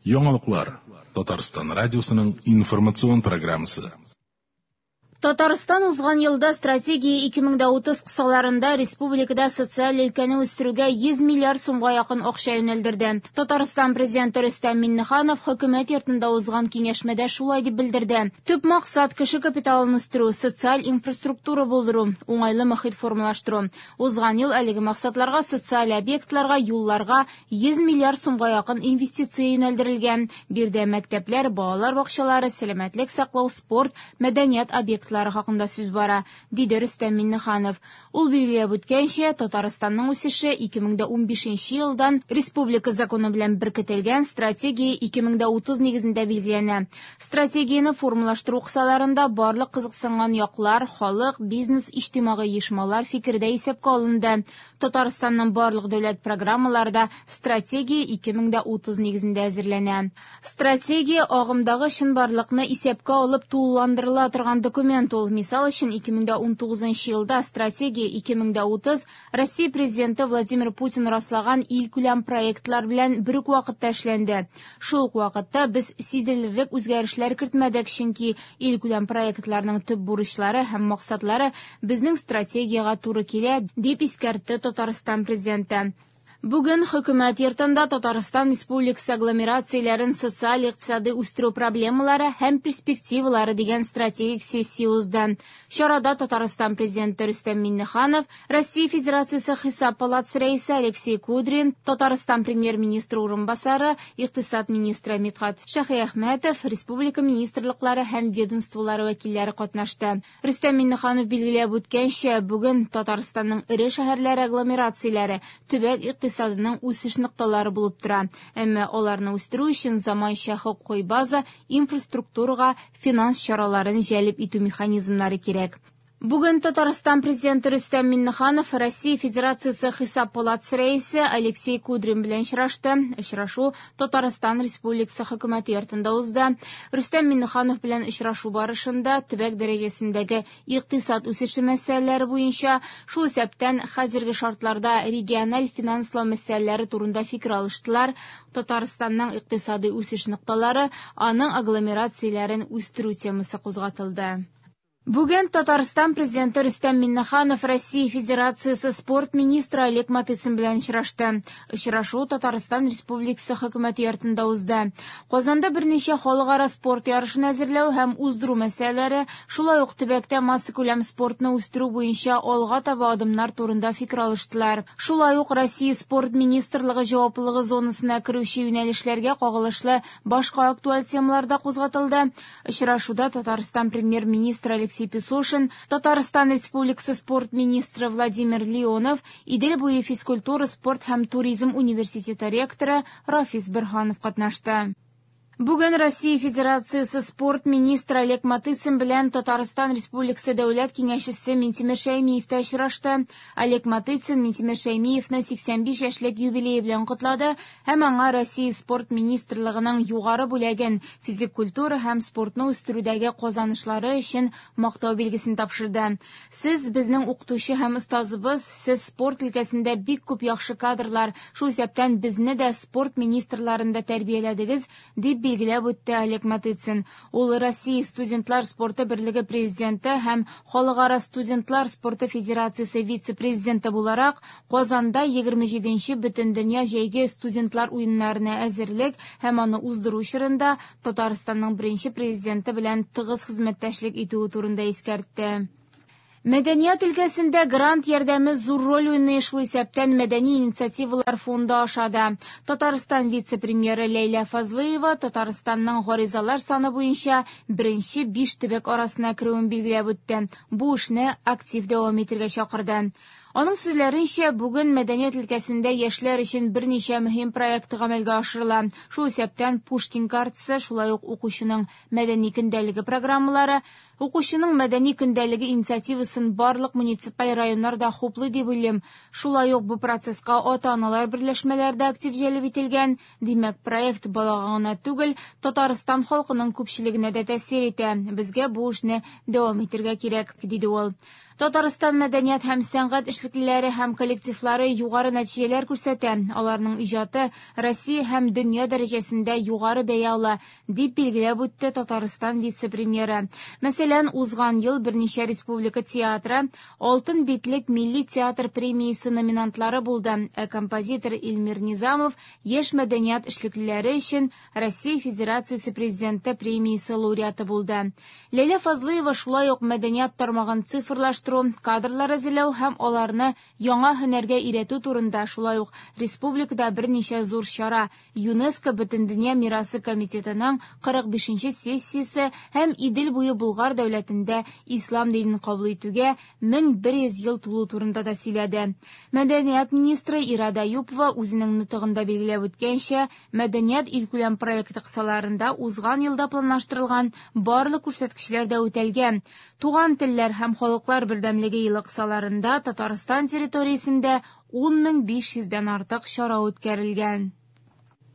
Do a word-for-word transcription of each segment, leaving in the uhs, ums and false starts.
Яңалыклар Татарстан радиосының информацион программасы. Татарстан узган елда стратегия ике мең дә утыз кысаларында республикада социаль өлкәне үстерүгә йөз миллиард сумга якын акча юнәлдерде. Татарстан президенты Рөстәм Миңнеханов хөкүмәт йортында узган киңәшмәдә шулай дип белдерде. Төп максат кеше капиталын үстерү, социаль инфраструктура булдыру, уңайлы мохит формалаштыру. Узган ел әлеге максатларга социаль объектларга, юлларга йөз миллиард сумга якын инвестиция юнәлдерелгән. Биредә мәктәпләр, балалар бакчалары, сәламәтлек саклау, спорт, мәдәният объектлары хакында сүз бара, диде Рөстәм Миңнеханов. Ул билгеләп үткәнчә, Татарстанның үсеше ике мең дә унбишенче елдан республика законы белән беркетелгән стратегия ике мең дә утыз нигезендә билгеләнә. Стратегияне формалаштыру кысаларында барлык кызыксынган яклар, халык, бизнес, иҗтимагый оешмалар фикердә исәпкә алынды. Татарстанның барлык дәүләт программалары да стратегия ике мең дә утыз нигезендә әзерләнә. Стратегия агымдагы чынбарлыкны исәпкә алып тулыландырыла торган документ. Ул, мисал өчен, ике мең дә унтугызынчы елда стратегия ике мең дә утыз Россия президенты Владимир Путин раслаган илкүләм проектлар белән бер үк вакытта эшләнде. Шул ук вакытта без сизелерлек үзгәрешләр кертмәдек, чөнки илкүләм проектларның төп бурычлары һәм максатлары безнең стратегиягә туры килә, дип искәртте Татарстан президенты. Бүген хөкүмәт йортында Татарстан Республикасы агломерацияләрен социаль-икътисади үстерү проблемалары һәм перспективалары дигән стратегик сессия узды. Чарада Татарстан президенты Рөстәм Миңнеханов, Россия Федерациясе Хисап палатасы рәисе Алексей Кудрин, Татарстан премьер-министры урынбасары, икътисад министры Мидхат Шаһиәхмәтов, республика министрлыклары һәм ведомстволары вәкилләре катнашты. Рөстәм Миңнеханов билгеләп үткәнчә, бүген Татарстанның эре шәһәрләре агломерацияләре төбәк икътисадының үсеш нокталары булып тора. Әмма аларны үстерү өчен заманча хокукый база, инфраструктурага финанс чараларын җәлеп итү механизмнары кирәк. Бүген Татарстан президенты Рөстәм Миңнеханов Россия Федерациясе Хисап палатасы рәисе Алексей Кудрин белән очрашты. Очрашу Татарстан Республикасы хөкүмәте йортында узды. Рөстәм Миңнеханов белән очрашу барышында төбәк дәрәҗәсендәге икътисад үсеше мәсьәләләре буенча, шул исәптән хәзерге шартларда региональ финанслау мәсьәләләре турында фикер алыштылар. Татарстанның икътисади үсеш нокталары, аның агломерацияләрен үстерү темасы кузгатылды. Бүген Татарстан президенты Рөстәм Миңнеханов Россия Федерациясе спорт министры Олег Матыцин белән очрашты. Очрашу Татарстан Республикасы хөкүмәте йортында узды. Казанда берничә халыкара спорт ярышын әзерләү һәм уздыру мәсьәләләре, шулай ук төбәктә массакүләм спортны үстерү буенча алга таба адымнар турында фикер алыштылар. Шулай ук Россия спорт министрлыгы җаваплылыгы зонасына керүче юнәлешләргә кагылышлы башка актуаль темалар да кузгатылды. Очрашуда Татарстан премьер-министры Алексей Песошин, Татарстан Республикасы спорт министры Владимир Леонов, Идел буе физкультура, спорт һәм туризм университеты ректоры Рафис Берханов катнашты. Бүген Россия Федерациясе спорт министры Олег Матыцин белән Татарстан Республикасы Дәүләт Киңәшчесе Минтимер Шәймиев тә очрашты. Олег Матыцин Минтимер Шәймиевне сиксән биш яшьлек юбилее белән котлады һәм аңа Россия спорт министрлыгының югары бүләген физик культура һәм спортны үстерүдәге казанышлары өчен мактау билгесен тапшырды. Сез безнең укытучы һәм остазыбыз, сез спорт өлкәсендә бик күп яхшы кадрлар, шул исәптән безне дә спорт министрларында тәрбияләдегез, дип билгеләп үтте Олег Матыцин. Ул Россия студентлар спорты берлеге президенты һәм Халыкара студентлар спорты федерациясе вице-президенты буларак Казанда егерме җиденче Бөтендөнья җәйге студентлар уеннарына әзерлек һәм аны уздыру чорында Татарстанның беренче президенты белән тыгыз хезмәттәшлек итүе турында искәртте. Мәдәният өлкәсендә грант ярдәме зур роль уйный, шул исәптән мәдәни инициативалар фонды аша да. Татарстан вице-премьеры Ләйлә Фазлыева Татарстанның гаризалар саны буенча беренче биш төбәк арасына керүен билгеләп үтте. Бу эшне актив дәвам итәргә чакырды. Аның сүзләренчә, бүген мәдәният өлкәсендә яшьләр өчен берничә мөһим проект гамәлгә ашырыла. Шул исәптән Пушкин картасы, шулай ук укучының мәдәни көндәлеге программалары, укучының мәдәни көндәлеге инициативасын барлык муниципаль районнар да хуплый дип уйлыйм. Шулай ук бу процесска ата-аналар берләшмәләре дә актив җәлеп ителгән. Димәк, проект балага гына түгел, Татарстан халкының күпчелегенә дә тәэсир итә. Безгә бу эшне дәвам итәргә кирәк, диде ул. Татарстан мәдәният һәм сәнгать эшлеклеләре һәм коллективлары югары нәтиҗәләр күрсәтә. Аларның иҗаты Россия һәм дөнья дәрәҗәсендә югары бәя ала, дип билгеләп үтте Татарстан вице-премьеры. Мәсәлән, узган ел берничә республика театры Алтын битлек милли театр премиясе номинантлары булды. Ә композитор Илмир Низамов яшь мәдәният эшлеклеләре өчен Россия Федерациясе президенты премиясе лауреаты булды. Ләйлә Фазлыева шулай ук мәдәният тармагын цифрлаштыру, кадрлар әзерләү һәм аларны яңа һөнәргә өйрәтү турында, шулай ук республикада берничә зур чара ЮНЕСКО Бөтендөнья мирасы комитетының кырык бишенче сессиясе һәм Идел буе Болгар дәүләтендә ислам динен кабул итүгә мең бер йөз ел тулу турында да сөйләде. Мәдәният министры Ирада Юпова үзенең нотыгында билгеләп үткәнчә, мәдәният илкүләм проекты кысаларында узган елда планлаштырылган барлык күрсәткечләр дә үтәлгән. Туган телләр һәм халыклар бердәмлеге елы кысаларында Татарстан территориясендә ун мең биш йөздән артык чара үткәрелгән.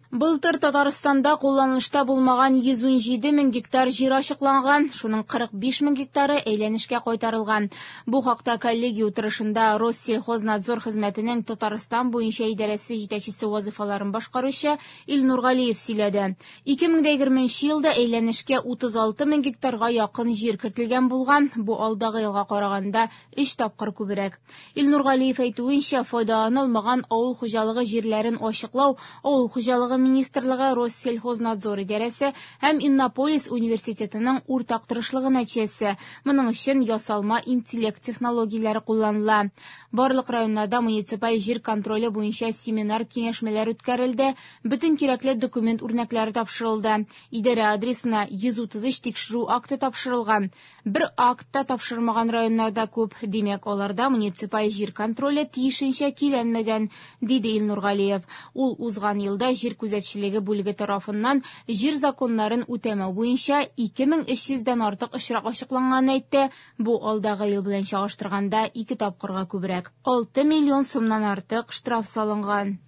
Былтыр Татарстанда кулланылышта булмаган йөз ун җиде мең гектар җир ачыкланган, шуның кырык биш мең гектары әйләнешкә кайтарылган. Бу хакта коллегия утырышында Россельхознадзор хезмәтенең Татарстан буенча идарәсе җитәкчесе вазифаларын башкаручы Илнур Галиев сөйләде. ике мең дә егерменче елда әйләнешкә утыз алты мең гектарга якын җир кертелгән булган, бу алдагы елга караганда өч тапкыр күбрәк. Илнур Галиев әйтүенчә, файдаланылмаган авыл хуҗалыгы җирләрен ачыклау авыл хуҗалыгы Министрлыгы, Россельхознадзор идарәсе һәм Иннополис университетының уртак тырышлыгы нәтиҗәсе. Моның өчен ясалма интеллект технологияләре кулланыла. Барлык районнарда муниципаль җир контроле буенча семинар киңәшмәләр үткәрелде, бөтен кирәкле документ үрнәкләре тапшырылды. Идарә адресына йөз утыз өч тикшерү акты тапшырылган. Бер акт та тапшырмаган районнарда күп, димәк, аларда муниципаль җир контроле тиешенчә киләнмәгән, диде Илнур Галиев. Ул узган елда җир күзәтчелеге бүлеге тарафыннан җир законнарын үтәмәү буенча ике мең өч йөздән артык очрак ачыкланганын әйтте. Бу алдагы ел белән чагыштырганда ике тапкырга күбрәк. алты миллион сумнан артык штраф салынган.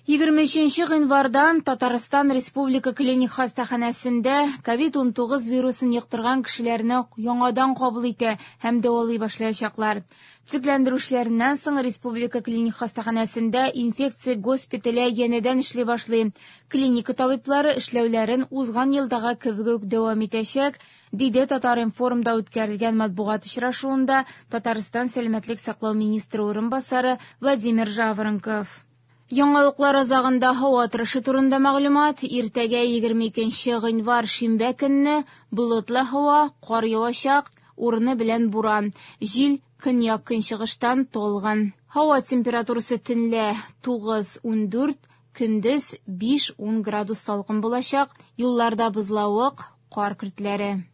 Егерме өченче гыйнвардан Татарстан Республика клиник хастаханәсендә ковид ун тугыз вирусын йоктырган кешеләрне яңадан кабул итә һәм дәвалый башлаячаклар. Төзекләндерүчеләреннән соң Республика клиник хастаханәсендә инфекция госпитале янәдән эшли башлый. Клиника табиблары эшләүләрен узган елдагы кебек үк дәвам итәчәк, диде Татар-информда үткәрелгән матбугат очрашуында Татарстан сәламәтлек саклау министры урынбасары Владимир Жаворонков. Яңалыклар азагында һава торышы турында мәгълүмат. Иртәгә егерме икенче гыйнвар шимбә көнне болытлы һава, кар явачак, урыны белән буран. Җил көньяк көнчыгыштан талгын. Һава температурасы төнлә тугыз ун дүрт, көндез биш ун градус салкын булачак. Юлларда бозлавык, кар көртләре.